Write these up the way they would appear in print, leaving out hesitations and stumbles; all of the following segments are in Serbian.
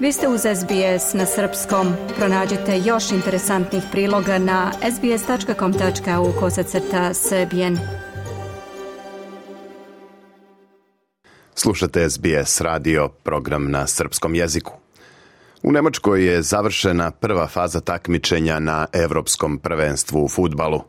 Vi ste uz SBS na srpskom. Pronađite još interesantnih priloga na sbs.com.au/srbijen. Slušate SBS radio, program na srpskom jeziku. U Nemačkoj je završena prva faza takmičenja na Evropskom prvenstvu u fudbalu.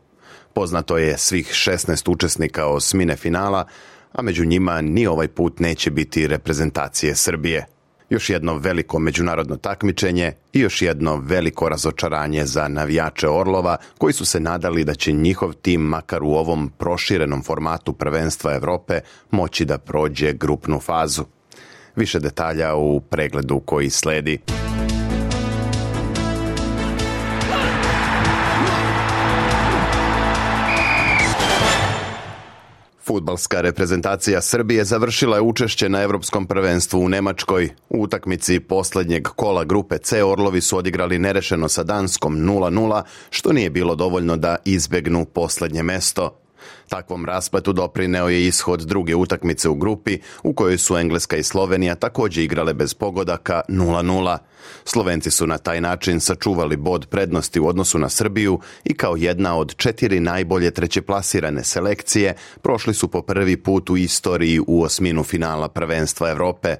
Poznato je svih 16 učesnika osmine finala, a među njima ni ovaj put neće biti reprezentacije Srbije. Još jedno veliko međunarodno takmičenje i još jedno veliko razočaranje za navijače Orlova, koji su se nadali da će njihov tim, makar u ovom proširenom formatu prvenstva Evrope, moći da prođe grupnu fazu. Više detalja u pregledu koji sledi. Fudbalska reprezentacija Srbije završila je učešće na Evropskom prvenstvu u Nemačkoj. U utakmici posljednjeg kola grupe C Orlovi su odigrali nerešeno sa Danskom 0:0, što nije bilo dovoljno da izbegnu posljednje mesto. Takvom raspletu doprineo je ishod druge utakmice u grupi, u kojoj su Engleska i Slovenija također igrale bez pogodaka 0:0. Slovenci su na taj način sačuvali bod prednosti u odnosu na Srbiju i kao jedna od 4 najbolje trećeplasirane selekcije prošli su po prvi put u istoriji u osminu finala prvenstva Evrope.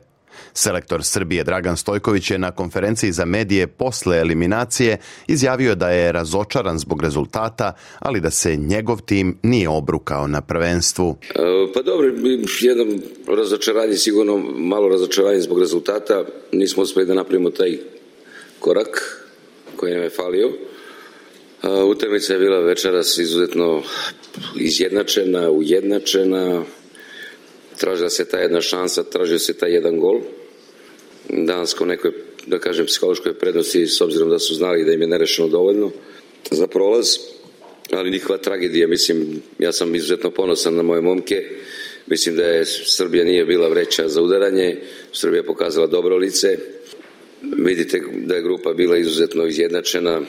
Selektor Srbije Dragan Stojković je na konferenciji za medije posle eliminacije izjavio da je razočaran zbog rezultata, ali da se njegov tim nije obrukao na prvenstvu. Pa dobro, jedno razočaranje, sigurno malo razočaranje zbog rezultata. Nismo uspjeli da napravimo taj korak koji nam je falio. Utakmica je bila večeras izuzetno izjednačena, ujednačena. Tražila se ta jedna šansa, tražio se taj jedan gol. Danas u nekoj, da kažem, psihološkoj prednosti, s obzirom da su znali da im je nerešeno dovoljno za prolaz, ali njihova tragedija, mislim, ja sam izuzetno ponosan na moje momke. Mislim da je Srbija nije bila vreća za udaranje, Srbija pokazala dobro lice. Vidite da je grupa bila izuzetno izjednačena,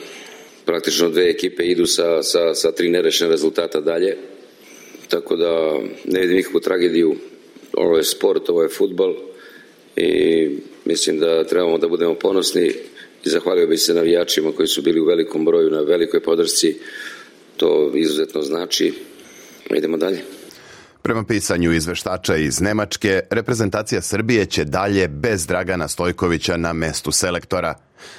praktično dve ekipe idu sa 3 nerešene rezultata dalje, tako da ne vidim nikakvu tragediju. Ovo je sport, ovo je fudbal i mislim da trebamo da budemo ponosni i zahvalio bih se navijačima koji su bili u velikom broju, na velikoj podršci. To izuzetno znači. Idemo dalje. Prema pisanju izveštača iz Nemačke, reprezentacija Srbije će dalje bez Dragana Stojkovića na mestu selektora.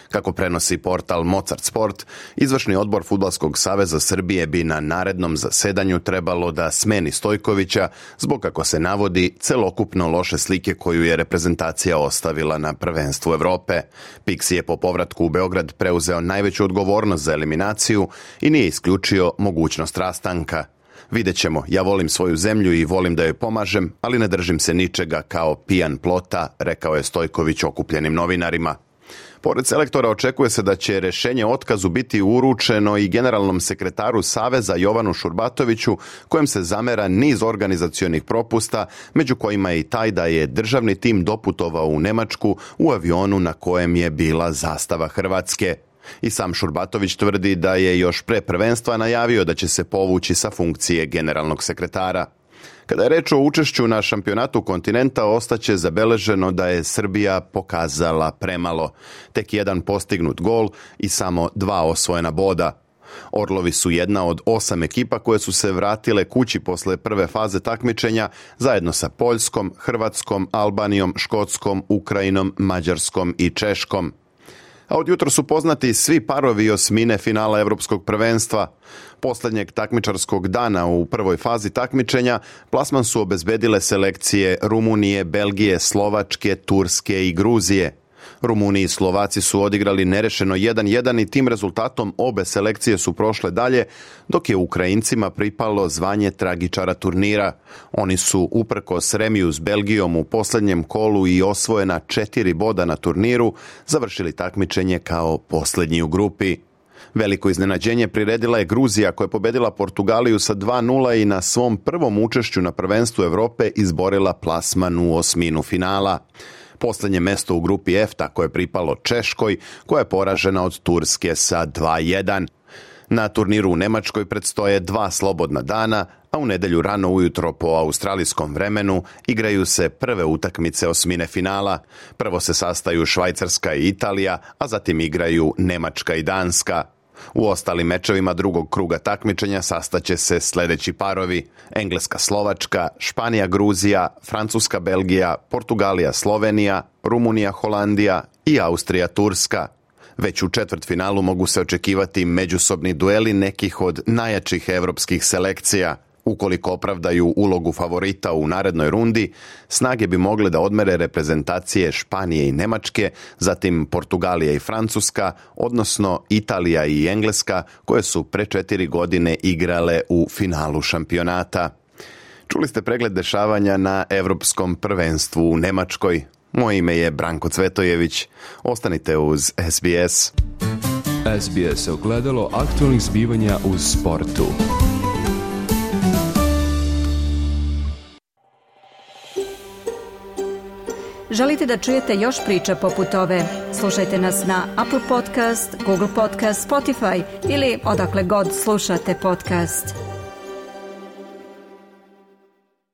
Kako prenosi portal Mozart Sport, izvršni odbor Fudbalskog saveza Srbije bi na narednom zasedanju trebalo da smeni Stojkovića zbog, kako se navodi, celokupno loše slike koju je reprezentacija ostavila na prvenstvu Evrope. Pixi je po povratku u Beograd preuzeo najveću odgovornost za eliminaciju i nije isključio mogućnost rastanka. Vidjet ćemo, ja volim svoju zemlju i volim da joj pomažem, ali ne držim se ničega kao pijan plota, rekao je Stojković okupljenim novinarima. Pored selektora očekuje se da će rješenje o otkazu biti uručeno i generalnom sekretaru Saveza Jovanu Šurbatoviću, kojem se zamera niz organizacionih propusta, među kojima je i taj da je državni tim doputovao u Nemačku u avionu na kojem je bila zastava Hrvatske. I sam Šurbatović tvrdi da je još pre prvenstva najavio da će se povući sa funkcije generalnog sekretara. Kada je reč o učešću na šampionatu kontinenta, ostaće zabeleženo da je Srbija pokazala premalo. Tek 1 postignut gol i samo 2 osvojena boda. Orlovi su jedna od 8 ekipa koje su se vratile kući posle prve faze takmičenja zajedno sa Poljskom, Hrvatskom, Albanijom, Škotskom, Ukrajinom, Mađarskom i Češkom. A od jutra su poznati svi parovi osmine finala Evropskog prvenstva. Posljednjeg takmičarskog dana u prvoj fazi takmičenja plasman su obezbedile selekcije Rumunije, Belgije, Slovačke, Turske i Gruzije. Rumuni i Slovaci su odigrali nerešeno 1:1 i tim rezultatom obe selekcije su prošle dalje, dok je Ukrajincima pripalo zvanje tragičara turnira. Oni su uprkos remiju s Belgijom u posljednjem kolu i osvojena 4 boda na turniru završili takmičenje kao posljednji u grupi. Veliko iznenađenje priredila je Gruzija, koja je pobedila Portugaliju sa 2:0 i na svom prvom učešću na prvenstvu Evrope izborila plasman u osminu finala. Posljednje mesto u grupi F tako je pripalo Češkoj, koja je poražena od Turske sa 2:1. Na turniru u Nemačkoj predstoje 2 slobodna dana, a u nedjelju rano ujutro po australijskom vremenu igraju se prve utakmice osmine finala. Prvo se sastaju Švajcarska i Italija, a zatim igraju Njemačka i Danska. U ostalim mečevima drugog kruga takmičenja sastaće se sljedeći parovi: Engleska-Slovačka, Španija-Gruzija, Francuska-Belgija, Portugalija-Slovenija, Rumunija-Holandija i Austrija-Turska. Već u četvrtfinalu mogu se očekivati međusobni dueli nekih od najjačih europskih selekcija. Ukoliko opravdaju ulogu favorita u narednoj rundi, snage bi mogle da odmere reprezentacije Španije i Njemačke, zatim Portugalija i Francuska, odnosno Italija i Engleska, koje su pre 4 godine igrale u finalu šampionata. Čuli ste pregled dešavanja na Evropskom prvenstvu u Njemačkoj. Moje ime je Branko Cvetojević. Ostanite uz SBS. SBS je ogledalo aktualnih zbivanja u sportu. Želite da čujete još priča poput ove? Slušajte nas na Apple Podcast, Google Podcast, Spotify ili odakle god slušate podcast.